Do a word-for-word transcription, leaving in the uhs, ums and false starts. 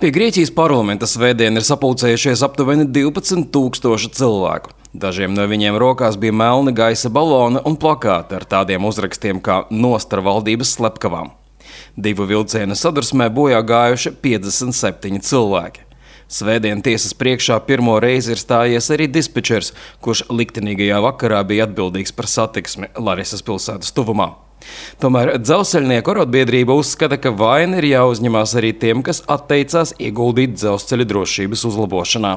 Pie Grieķijas parlamenta svētdien ir sapulcējušies aptuveni divpadsmit tūkstoši cilvēku. Dažiem no viņiem rokās bija melni gaisa baloni un plakāti ar tādiem uzrakstiem kā "Nost ar valdības slepkavām". Divu vilcienu sadursmē bojā gājuši piecdesmit septiņi cilvēki. Svētdien tiesas priekšā pirmo reizi ir stājies arī dispečers, kurš liktenīgajā vakarā bija atbildīgs par satiksmi Larisas pilsētas tuvumā. Tomēr dzelzceļnieku arotbiedrība uzskata, ka vaina ir jāuzņemās arī tiem, kas atteicās ieguldīt dzelzceļa drošības uzlabošanā.